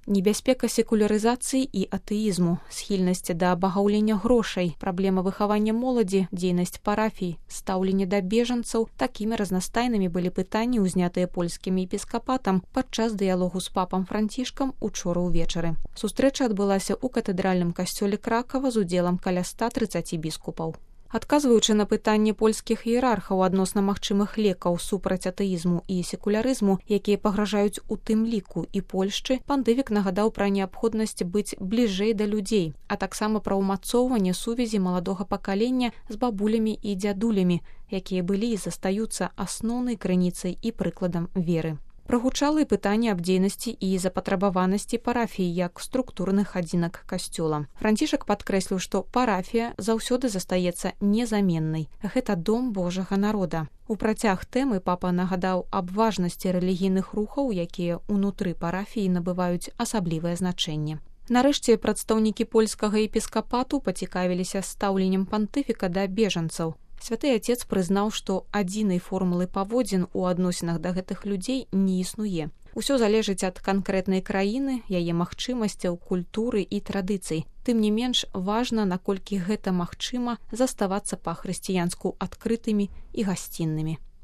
Небяспека секулярызацыі і атэізму, схільнасць да абагаўлення грошай, праблема выхавання моладзі, дзейнасць парафій, стаўленне да бежанцаў – такімі разнастайнымі былі пытанні, узнятыя польскім епіскапатам падчас дыялогу з папам Францішкам учора ўвечары. Сустрэча адбылася ў катэдральным касцёле Кракава з удзелам каля 130 біскупаў. Адказваючы на пытанне польскіх іерархаў адносна магчымых лекаў супраць атэізму і секулярызму, якія пагражаюць у тым ліку і Польшчы, пандывік нагадаў пра неабходнасць быць бліжэй да людзей, а таксама пра ўмацоўванне сувязі маладога пакалення з бабулямі і дзядулямі, якія былі і застаюцца асноўнай крыніцай і прыкладам веры. Прагучала і пытанне аб дзейнасці і запатрабаванасці парафіі як структурных адзінак касцёла. Францішак падкрэсліў, што парафія заўсёды застаецца незаменнай. Гэта дом Божага народа. У працяг тэмы папа нагадаў аб важнасці рэлігійных рухаў, якія ўнутры парафіі набываюць асаблівае значэнне. Нарэшце прадстаўнікі польскага епіскапату пацікавіліся стаўленнем пантыфіка да бежанцаў. Святы Отец прызнаў, што адзінай формулы паводзін у адносінах да гэтых людзей не існуе. Усё залежыць ад канкрэтнай краіны, яе магчымасцяў, культуры і традыцый. Тым не менш, важна, наколькі гэта магчыма, заставацца па-хрысціянску адкрытымі і гасціннымі.